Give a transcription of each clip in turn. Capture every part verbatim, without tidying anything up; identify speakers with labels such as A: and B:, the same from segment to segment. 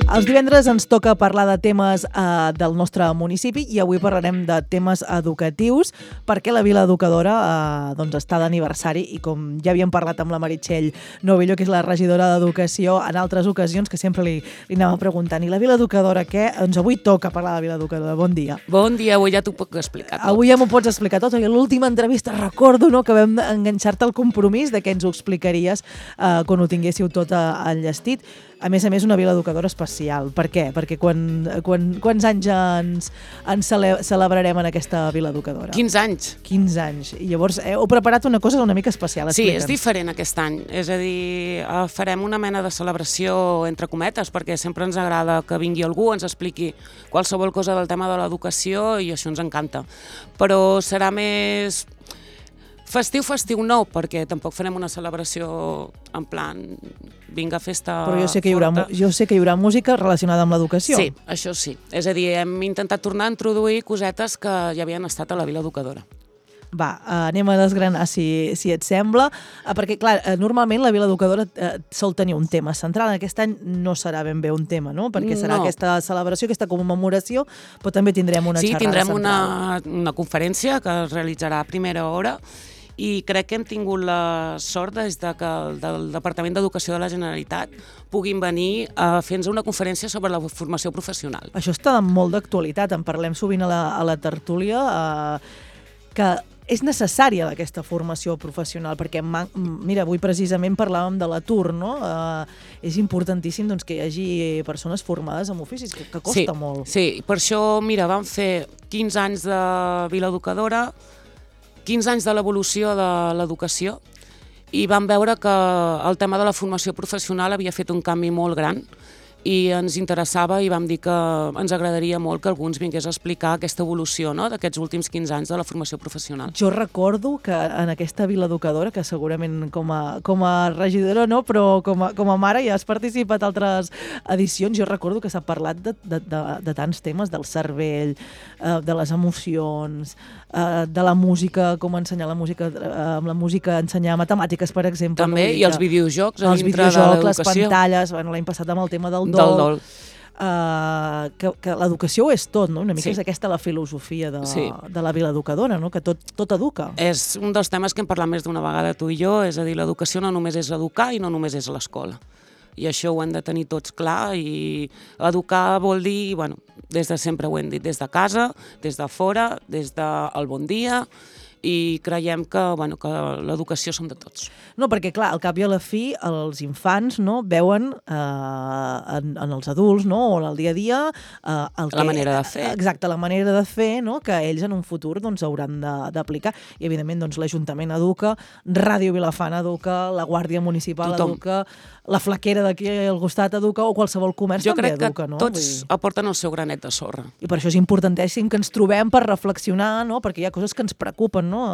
A: Els divendres ens toca parlar de temes eh, del nostre municipi i avui parlarem de temes educatius perquè la Vila Educadora eh, doncs està d'aniversari i com ja havíem parlat amb la Meritxell Novillo, que és la regidora d'Educació, en altres ocasions que sempre li, li anava preguntant i la Vila Educadora què? Doncs avui toca parlar de la Vila Educadora. Bon dia.
B: Bon dia, avui ja t'ho puc explicar tot.
A: Avui ja m'ho pots explicar tot. I a l'última entrevista recordo no, que vam enganxar-te el compromís de que ens ho explicaries eh, quan ho tinguéssiu tot enllestit. A més a més, una Vila Educadora especial. Per què? Perquè quan, quan, quants anys ens, ens cele, celebrarem en aquesta Vila Educadora?
B: quinze anys.
A: quinze anys. I llavors heu preparat una cosa una mica especial.
B: Sí, és diferent aquest any. És a dir, farem una mena de celebració entre cometes, perquè sempre ens agrada que vingui algú, ens expliqui qualsevol cosa del tema de l'educació i això ens encanta. Però serà més... Festiu, festiu no, perquè tampoc farem una celebració en plan vinga, festa
A: Però jo sé que hi haurà, jo sé que hi haurà música relacionada amb l'educació.
B: Sí, això sí. És a dir, hem intentat tornar a introduir cosetes que ja havien estat a la Vila Educadora.
A: Va, anem a desgranar si, si et sembla, perquè clar, normalment la Vila Educadora eh, sol tenir un tema central. Aquest any no serà ben bé un tema, no? Perquè serà no. aquesta celebració, aquesta commemoració, però també tindrem una
B: sí,
A: xerrada
B: tindrem
A: central.
B: una, una conferència que es realitzarà a primera hora i crec que hem tingut la sort des de que el del Departament d'Educació de la Generalitat puguin venir a fer-nos una conferència sobre la formació professional.
A: Això està molt d'actualitat, en parlem sovint a la, a la tertúlia, eh, que és necessària aquesta formació professional, perquè, mira, avui precisament parlàvem de l'atur, no? Eh, és importantíssim doncs, que hi hagi persones formades en oficis, que, que costa
B: sí,
A: molt.
B: Sí, per això, mira, vam fer quinze anys de Vila Educadora, quinze anys de l'evolució de l'educació i vam veure que el tema de la formació professional havia fet un canvi molt gran i ens interessava i vam dir que ens agradaria molt que algú ens vingués a explicar aquesta evolució no? d'aquests últims quinze anys de la formació professional.
A: Jo recordo que en aquesta Vila Educadora, que segurament com a, com a regidora no, però com a, com a mare ja has participat a altres edicions, jo recordo que s'ha parlat de, de, de, de tants temes, del cervell, eh, de les emocions, eh, de la música, com ensenyar la música, eh, amb la música ensenyar matemàtiques, per exemple.
B: També,
A: no?
B: i els videojocs a
A: els
B: dintre
A: videojocs,
B: de l'educació.
A: Les pantalles, bueno, l'any passat amb el tema del dol.
B: Del dol.
A: Uh, que, que l'educació ho és tot, no? Una mica sí. És aquesta la filosofia de, sí. de la Vila Educadora, no? Que tot, tot educa.
B: És un dels temes que hem parlat més d'una vegada tu i jo, és a dir, l'educació no només és educar i no només és l'escola. I això ho hem de tenir tots clar i educar vol dir, bueno, des de sempre ho hem dit, des de casa, des de fora, des del bon dia, i creiem que, bueno, que l'educació som de tots.
A: No, perquè clar, al cap i a la fi els infants no, veuen eh, en, en els adults no, o en el dia a dia eh, el
B: la
A: que,
B: manera de fer.
A: Exacte, la manera de fer no, que ells en un futur doncs, hauran d'aplicar. I evidentment doncs, l'Ajuntament educa, Ràdio Vilafant educa, la Guàrdia Municipal Tothom. Educa, la flaquera d'aquí al costat educa o qualsevol comerç
B: jo
A: també educa.
B: Jo crec que
A: no?
B: tots
A: Vull...
B: aporten el seu granet de sorra.
A: I per això és importantíssim que ens trobem per reflexionar, no? Perquè hi ha coses que ens preocupen, no?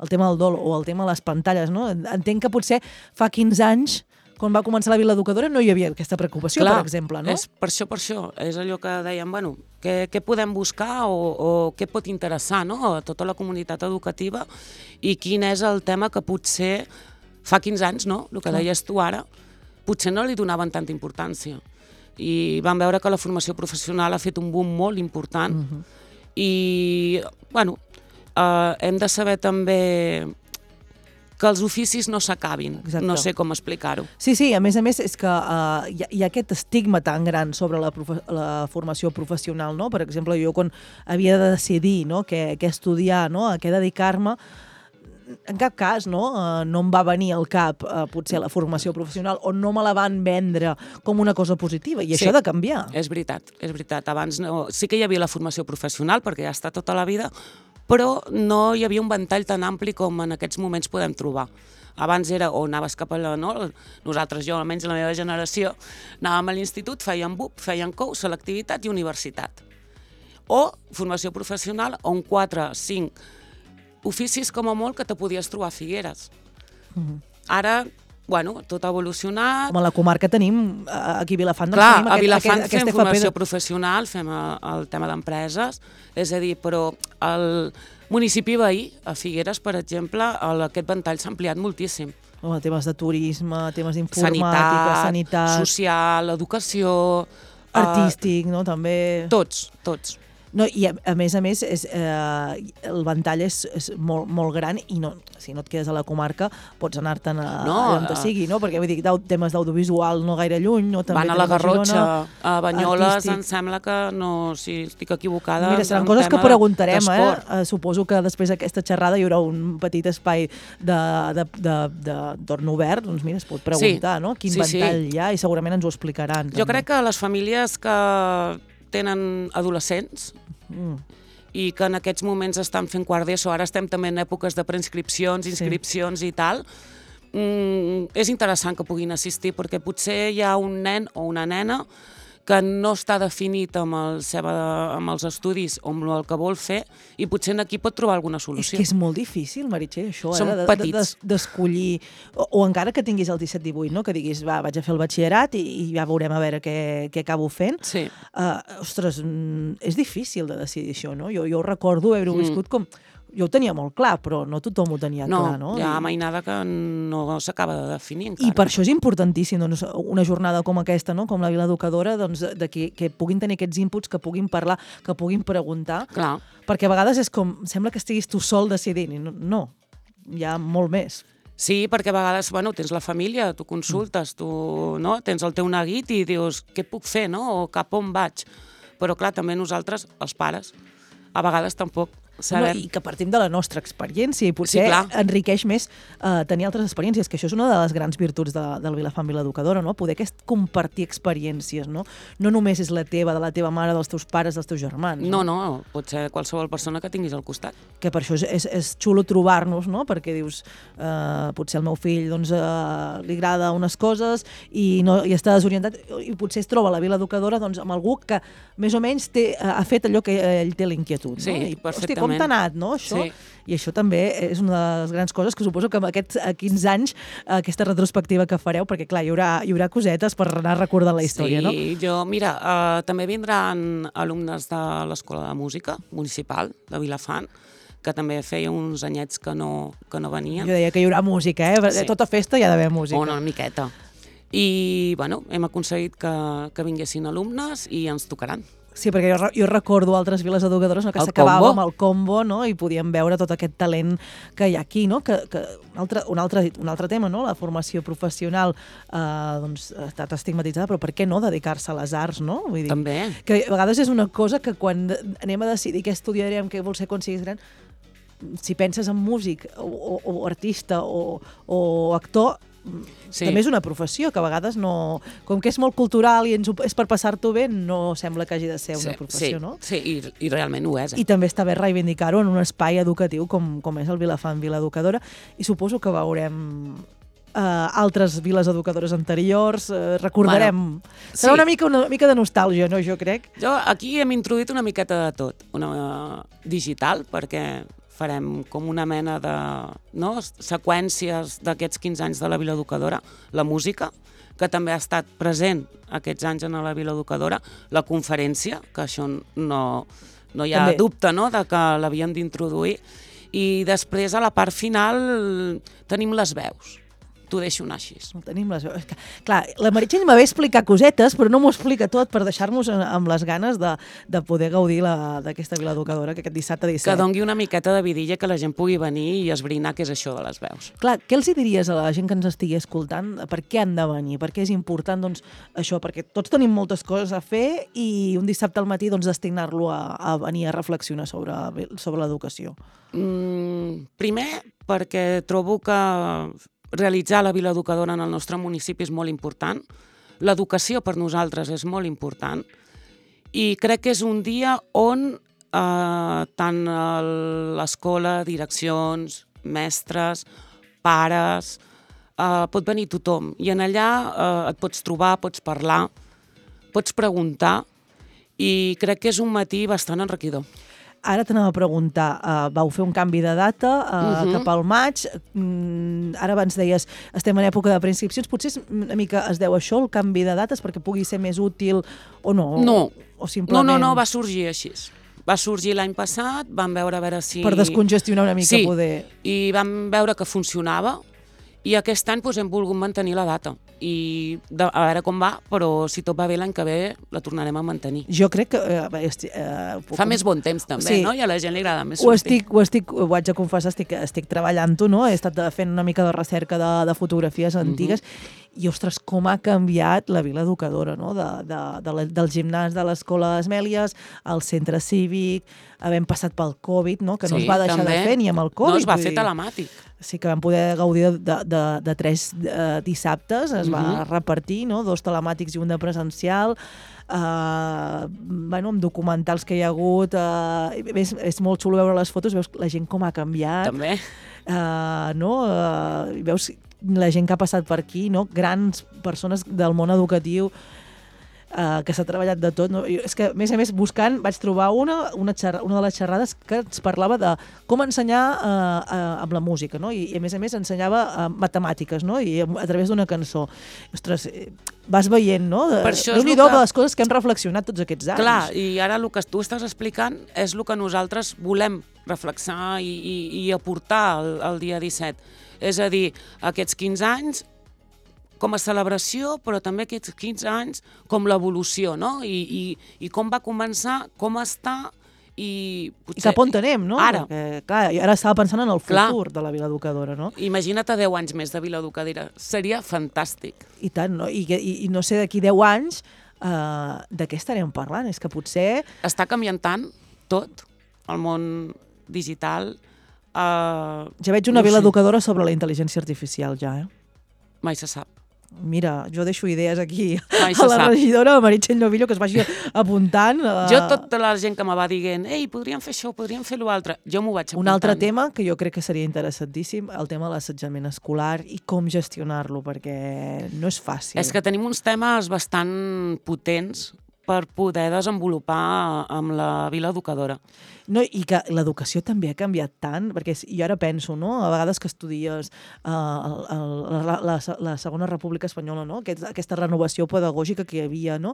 A: El tema del dol o el tema de les pantalles. No? Entenc que potser fa quinze anys, quan va començar la Vila Educadora, no hi havia aquesta preocupació,
B: clar,
A: per exemple. No?
B: És per això, per això. És allò que dèiem, bueno, què, què podem buscar o, o què pot interessar no? a tota la comunitat educativa i quin és el tema que potser fa quinze anys, no? El que clar. Deies tu ara, potser no li donaven tanta importància. I vam veure que la formació professional ha fet un boom molt important uh-huh. i, bueno, eh, hem de saber també que els oficis no s'acabin, no sé com explicar-ho.
A: Sí, sí, a més a més és que uh, hi, ha, hi ha aquest estigma tan gran sobre la, profe la formació professional, no? Per exemple, jo quan havia de decidir no? què, què estudiar, no? A què dedicar-me, en cap cas no, uh, no em va venir al cap uh, potser la formació professional o no me la van vendre com una cosa positiva i sí, això ha de canviar.
B: És veritat, és veritat. Abans no, sí que hi havia la formació professional perquè ja està tota la vida, però no hi havia un ventall tan ampli com en aquests moments podem trobar. Abans era o anaves cap a la... No? Nosaltres, jo, almenys la meva generació, anàvem a l'institut, feien B U P, feien C O U, selectivitat i universitat. O formació professional on quatre, cinc oficis com a molt que te podies trobar a Figueres. Uh-huh. Ara, bueno, tot ha evolucionat.
A: Com a la comarca tenim, aquí a Vilafant, doncs
B: clar,
A: tenim
B: a
A: aquest,
B: Vilafant
A: aquest,
B: fem
A: aquest
B: formació
A: de...
B: professional, fem el tema d'empreses, és a dir, però el municipi veí, a Figueres, per exemple, el, aquest ventall s'ha ampliat moltíssim.
A: Oh, temes de turisme, temes d'informàtica, sanitat...
B: social, educació...
A: Artístic, no? També...
B: Tots, tots.
A: No, i a, a més a més, és, eh, el ventall és, és molt, molt gran i no, si no et quedes a la comarca pots anar-te'n a,
B: no,
A: a on te sigui, no? Perquè vull dir, temes d'audiovisual no gaire lluny. No? També
B: van a la Garrotxa, a Banyoles,
A: artístic.
B: Em sembla que no, si estic equivocada...
A: Mira, seran coses que preguntarem, eh? eh? Suposo que després d'aquesta xerrada hi haurà un petit espai d'horn obert, doncs mira, es pot preguntar, sí, no? Quin
B: sí,
A: ventall
B: sí.
A: hi ha i segurament ens ho explicaran.
B: Jo
A: també.
B: crec que les famílies que tenen adolescents mm. i que en aquests moments estan fent quart d'ESO, ara estem també en èpoques de preinscripcions, inscripcions sí. i tal, mm, és interessant que puguin assistir perquè potser hi ha un nen o una nena que no està definit amb, el seva, amb els estudis o amb el que vol fer i potser aquí pot trobar alguna solució.
A: És que és molt difícil, Meritxell, això,
B: Som
A: eh?
B: petits.
A: D'escollir, o, o encara que tinguis el disset divuit, no? Que diguis, va, vaig a fer el batxillerat i, i ja veurem a veure què, què acabo fent.
B: Sí.
A: Uh, ostres, mm, és difícil de decidir això, no? Jo, jo recordo haver-ho mm. viscut com... Jo ho tenia molt clar, però no tothom ho tenia
B: no,
A: clar, no?
B: Hi ha
A: I...
B: mainada que no s'acaba de definir encara.
A: I per això és importantíssim doncs, una jornada com aquesta, no? Com la Vila Educadora, doncs, de que, que puguin tenir aquests inputs, que puguin parlar, que puguin preguntar,
B: clar.
A: Perquè a vegades és com, sembla que estiguis tu sol decidint, i no, no, hi ha molt més.
B: Sí, perquè a vegades, bueno, tens la família, tu consultes, tu, no? Tens el teu neguit i dius, què puc fer, no? O cap on vaig? Però clar, també nosaltres, els pares, a vegades tampoc sabem.
A: No, i que partim de la nostra experiència i potser
B: sí,
A: enriqueix més uh, tenir altres experiències, que això és una de les grans virtuts de, del Vilafant Vila Educadora, no? Poder aquest compartir experiències, no? No només és la teva, de la teva mare, dels teus pares, dels teus germans.
B: No, no, no pot ser qualsevol persona que tinguis al costat.
A: Que per això és, és, és xulo trobar-nos, no? Perquè dius, uh, potser al meu fill doncs, uh, li agrada unes coses i, no, i està desorientat i potser es troba a la Vila Educadora doncs, amb algú que més o menys té, uh, ha fet allò que ell té l'inquietud.
B: Sí,
A: no? I,
B: perfectament.
A: Hosti, com t'ha anat, no, això?
B: Sí.
A: I això també és una de les grans coses que suposo que amb aquests quinze anys, aquesta retrospectiva que fareu, perquè clar, hi haurà, hi haurà cosetes per anar recordant la història,
B: sí,
A: no?
B: Sí, jo, mira, uh, també vindran alumnes de l'Escola de Música Municipal de Vilafant, que també feia uns anyets que no, que no venien.
A: Jo deia que hi haurà música, eh? Sí. Tota festa hi ha d'haver música.
B: Una miqueta. I, bueno, hem aconseguit que, que vinguessin alumnes i ens tocaran.
A: Sí, perquè jo, jo recordo altres viles educadores, no, que s'acabava amb el combo, no? I podíem veure tot aquest talent que hi ha aquí, no? Que, que un, altre, un, altre, un altre tema, no? La formació professional eh, doncs, ha estat estigmatitzada, però per què no dedicar-se a les arts, no? Vull dir,
B: també.
A: Que a vegades és una cosa que quan anem a decidir què estudiarem, què vols ser quan siguis gran, si penses en músic o, o, o artista o, o actor, sí. També és una professió que a vegades no... Com que és molt cultural i ens, és per passar-t'ho bé, no sembla que hagi de ser una
B: sí,
A: professió,
B: sí,
A: no?
B: Sí, i, i realment ho és. Eh?
A: I també està bé reivindicar-ho en un espai educatiu com, com és el Vilafant Vila Educadora, i suposo que veurem uh, altres viles educadores anteriors, uh, recordarem... Bueno, serà sí. una, mica, una mica de nostàlgia, no?, jo crec.
B: Jo aquí hem introduït una miqueta de tot, una uh, digital, perquè farem com una mena de no, seqüències d'aquests quinze anys de la Vila Educadora, la música, que també ha estat present aquests anys en la Vila Educadora, la conferència, que això no, no hi ha també. Dubte, no?, de que l'havien d'introduir, i després a la part final tenim les veus. T'ho deixo anar així.
A: No tenim les veus. Clar, la Meritxell m'ha explicar cosetes, però no m'ho explica tot per deixar-nos amb les ganes de, de poder gaudir d'aquesta Vila Educadora que aquest dissabte disset.
B: Que dongui una miqueta de vidilla, que la gent pugui venir i esbrinar què és això de les veus.
A: Clar, què els hi diries a la gent que ens estigui escoltant? Per què han de venir? Per què és important doncs, això? Perquè tots tenim moltes coses a fer i un dissabte al matí doncs, destinar-lo a, a venir a reflexionar sobre, sobre l'educació.
B: Mm, primer, perquè trobo que realitzar la Vila Educadora en el nostre municipi és molt important. L'educació per nosaltres és molt important i crec que és un dia on eh, tant l'escola, direccions, mestres, pares, eh, pot venir tothom i en allà eh, et pots trobar, pots parlar, pots preguntar i crec que és un matí bastant enriquidor.
A: Ara t'anava a preguntar, uh, vau fer un canvi de data uh, uh-huh. cap al maig, mm, ara abans deies estem en època de preinscripcions, potser és una mica es deu això, el canvi de dates, perquè pugui ser més útil o no?
B: No,
A: o simplement...
B: no, no, no, va sorgir així. Va sorgir l'any passat, vam veure a veure si...
A: Per descongestionar una mica
B: sí,
A: poder...
B: i vam veure que funcionava I aquest any doncs, hem volgut mantenir la data i de, a veure com va, però si tot va bé l'any que ve la tornarem a mantenir.
A: Jo crec que... Eh, esti, eh, puc...
B: Fa més bon temps també, sí. No? I a la gent li agrada més
A: ho
B: sortir.
A: estic, ho estic, ho haig de confessar, estic, estic treballant-ho, no? He estat fent una mica de recerca de, de fotografies antigues mm-hmm. i, ostres, com ha canviat la Vila Educadora, no? De, de, de la, del gimnàs de l'Escola d'Esmèlies, al centre cívic, havent passat pel Covid, no? Que no sí, es va deixar també. de fer ni amb el Covid.
B: No, es va fer telemàtic.
A: Sí que vam poder gaudir de, de, de tres uh, dissabtes, es va mm-hmm. repartir, no? Dos telemàtics i un de presencial, uh, bueno, amb documentals que hi ha hagut, uh, és, és molt xulo veure les fotos, veus la gent com ha canviat.
B: També.
A: Uh, no? Uh, veus la gent que ha passat per aquí, no? Grans persones del món educatiu, Uh, que s'ha treballat de tot. No? És que, a més a més, buscant, vaig trobar una, una, xerra, una de les xerrades que ens parlava de com ensenyar uh, uh, amb la música, no? I, i a més a més ensenyava uh, matemàtiques, no? I a, a través d'una cançó. Ostres, vas veient, no? Déu-n'hi-do que... les coses que hem reflexionat tots aquests anys.
B: Clar, i ara el que tu estàs explicant és el que nosaltres volem reflexar i, i, i aportar el, el dia disset. És a dir, aquests quinze anys com a celebració, però també aquests quinze anys com l'evolució, no? I, i, i com va començar, com està, i potser...
A: I cap on anem, no?
B: Ara.
A: Perquè, clar, ara estava pensant en el futur clar. de la Vila Educadora, no?
B: Imagina't a deu anys més de Vila Educadora. Seria fantàstic.
A: I tant, no? I, i, i no sé, d'aquí deu anys, uh, de què estarem parlant? És que potser...
B: Està canviant tant tot, el món digital... Uh,
A: ja veig una no Vila sé. Educadora sobre la intel·ligència artificial, ja, eh?
B: Mai se sap.
A: Mira, jo deixo idees aquí
B: Mai
A: a la
B: sap.
A: regidora, a Meritxell Novillo, que es vagi apuntant. Uh...
B: Jo, tota la gent que me va dient ei, podríem fer això, podríem fer l'altre, jo m'ho vaig apuntant.
A: Un altre tema que jo crec que seria interessantíssim, el tema de l'assetjament escolar i com gestionar-lo, perquè no és fàcil.
B: És que tenim uns temes bastant potents per poder desenvolupar amb la Vila Educadora.
A: No, i que l'educació també ha canviat tant, perquè jo ara penso, no?, a vegades que estudies uh, el, el, la, la, la Segona República Espanyola, no?, Aquest, aquesta renovació pedagògica que hi havia, no?,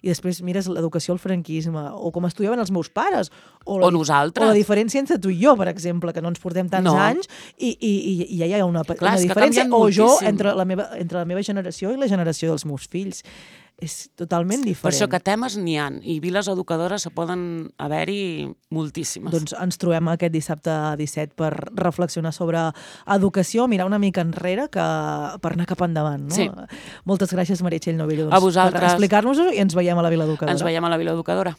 A: i després mires l'educació al franquisme, o com estudiaven els meus pares, o, la,
B: o nosaltres.
A: O la diferència entre tu i jo, per exemple, que no ens portem tants
B: no.
A: anys, i, i, i ja hi ha una,
B: Clar,
A: una diferència, o jo entre la, meva, entre la meva generació i la generació dels meus fills. És totalment diferent.
B: Per això que temes n'hi ha, i viles educadores se poden haver-hi moltíssimes.
A: Doncs ens trobem aquest dissabte disset per reflexionar sobre educació, mirar una mica enrere que per anar cap endavant. No?
B: Sí.
A: Moltes gràcies, Meritxell Novillo, doncs,
B: a vosaltres.
A: Per explicar-nos-ho, i ens veiem a la Vila Educadora.
B: Ens veiem a la Vila Educadora.